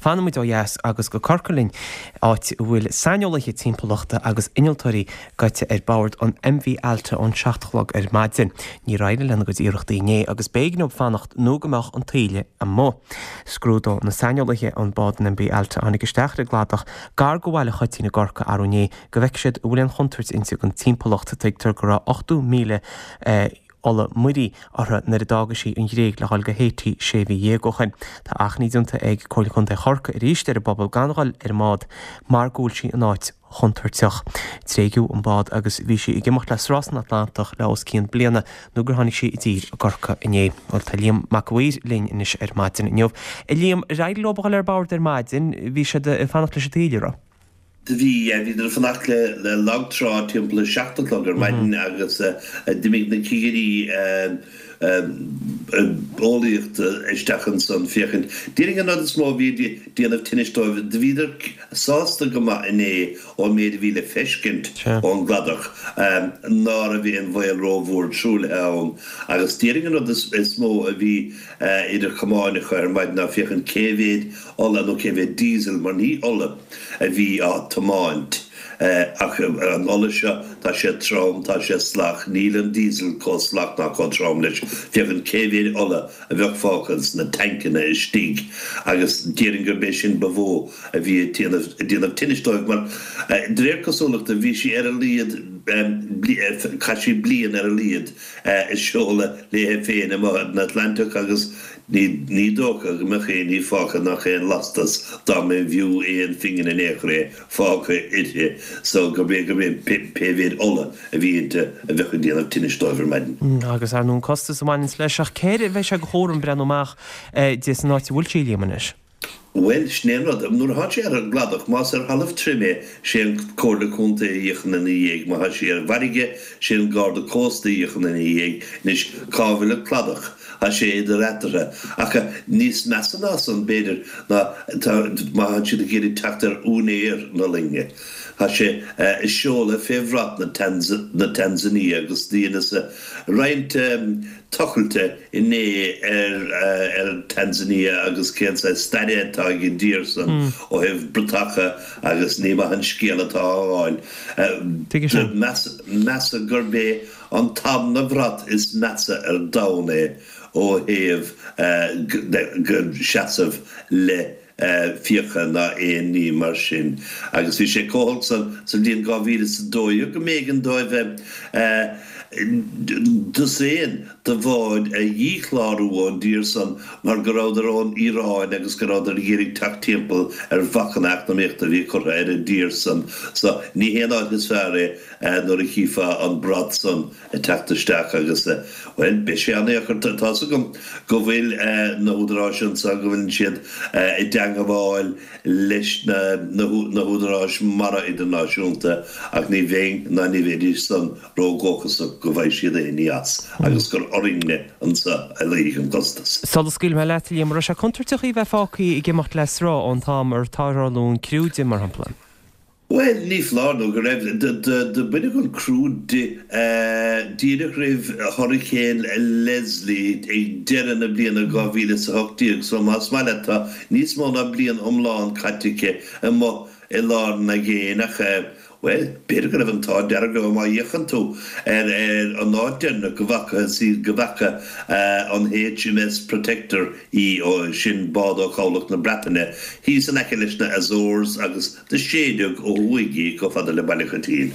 Fanfaidh muid ó dheas agus go Corcaigh linn, áit a bhfuil saineolaithe timpeallachta agus innealtóirí gaibhte ar bord an MV Alta ón 7 a chlog ar maidin. Níor éirigh lena gcuid iarrachtaí inné agus b'éigean dóibh fanacht nó go mbeadh an taoille amuigh. Scrúdóidh na saineolaithe an bád an MV Alta a tháinig isteach ar an gcladach gar do Bhaile Choitín i gCorcaigh arú inné go bhfeicfidh siad an bhfuil aon chontúirt inti don timpeallacht. Tuigtear go raibh 80,000 ola muirí uirthi nuair a d'fhága sí an Ghréig le dhul go Haiti sé mhí dhéag ó shin. Tá achainí déanta ag Comhairle Contae Chorcaí arís ar an bpobal gan dhul ar an mbád mar go bhfuil sí in áit chontúirteach. Tréigeadh an bád agus bhí sí ag imeacht le sruth san Atlantach le os cionn bliana nó gur tháinig sí i dtír i gCorcaigh inné. Bhuel tá Liam Mac a' Mhaoir linn anois ar maidin inniu. A Liam, ar éirigh leo a dhul ar bord ar maidin, bhí siad ag fanacht leis an taoille, raibh? Do bhí, bhíodar ag fanacht le lag trá timpeall a 7 a chlog ar maidin agus d'imigh na cigirí eolaíochta isteach ansan féachaint. Déarfainn an rud is mó a bhí ag déanamh tinnis dóibh, do bhíodar sásta go maith inné ón méid a bhí le feiscint ón gcladach, ná raibh aon bhaol rómhór truaillithe ann agus déarfainn an rud is mó a bhí idir chamáin acu ar maidin ná féachaint cé mhéad ola nó cé mhéad diesel, mar ní ola a bhí á tiomáint ach an ola seo, tá sé trom, tá sé salach, níl an diesel chomh salach ná chomh trom leis, féachaint cé mhéad ola a bheadh fágtha sna tancanna istigh agus déarfainn gurb é sin ba mhó a bhí ag déanamh tinnis dóibh mar de réir cosúlachta bhí sí ar a laghad, chaith sí bliain ar a laghad ag seoladh léithe féin amuigh ar an Atlantach agus Ní dócha go mbeadh aon ní fágtha nach aon lastas dá mb'fhiú aon phingin in aon chor é fágtha uirthi so gurb é gurb é pé mhéid ola a bhí inti a bheadh ag déanamh tinnis dóibh ar maidin. Agus ar ndóigh an costas a bhaineanns leis ach cé air a bheidh sé de chúram breathnú amach di san áit a bhfuil sí, Liam, anois? Bhuel, sin é an rud. Nuair atá sé ar an gcladach, más ar thalamh tirim é, sé an Comhairle Contae a íocann ina dhiaidh, má tá sí ar an bhfarraige, sé an Garda Cósta a íocann ina dhiaidh. Anois, cá bhfuil an cladach? Tá sé idir eatarthu. Ach níos measa ná san, b'fhéidir, ná tá, má tá siad ag iarraidh teacht ar úinéir na loinge. Tá sé ag seoladh fé bhrat na Tanzania agus dheineas roinnt tochailte inné ar Tanzania agus cén saghas staire atá ag an dtír san ó thaobh bratacha agus ní maith an scéal atá á fháil. Measadh gurb é an tarna brat is measa ar domhan é ó thaobh seasamh le fiacha ná aon ní mar sin. Agus bhí sé chomh holc san sa bhliain 2012 go mb'éigean dóibh dosaen de bháid a dhíchlárú ón dtír san mar go rabhadar ón Iaráin agus go rabhadar ag iarraidh teacht timpeall ar bhacanna eacnamaíochta a bhí curtha ar an dtír san. So ní hé an áit is fearr é nuair a chífeá an brat san. ag teacht isteach agus, bhuel, beidh sé an-dheacair. Tá's agam go bhfuil na húdaráis anseo, go bhfuileann siad i dteangabháil leis na húdaráis mara idirnáisiúnta ach ní bheinn ná ní bheidís san ródhóchasach go bhfaighidh siad aon ní as agus gur orainne anseo a luífidh an costas. Sula scaoilfidh mé leat, a Liam, an raibh sé contúirteach í bheith fágtha ag imeacht le sruth ón t-am ar tarrtháladh an criú di, mar shampla? Bhuel, ní foláir nó go raibh. Do baineadh an criú di díreach roimh Hurricane Leslie ag deireadh na bliana 2018, so más maith leat tá níos mó ná bliain iomlán caite aici amuigh i lár an aigéin ach, bhuel, b'fhéidir go raibh an t-ádh dearg leo má fhéachann tú ar an áit deireanach go bhfacthas í, go bhfaca an HMS Protector í, sin bád ó chabhlach na Breataine, thíos in aice leis na Azores agus Do séideadh ó thuaidh í chomh fada le Baile Choitín.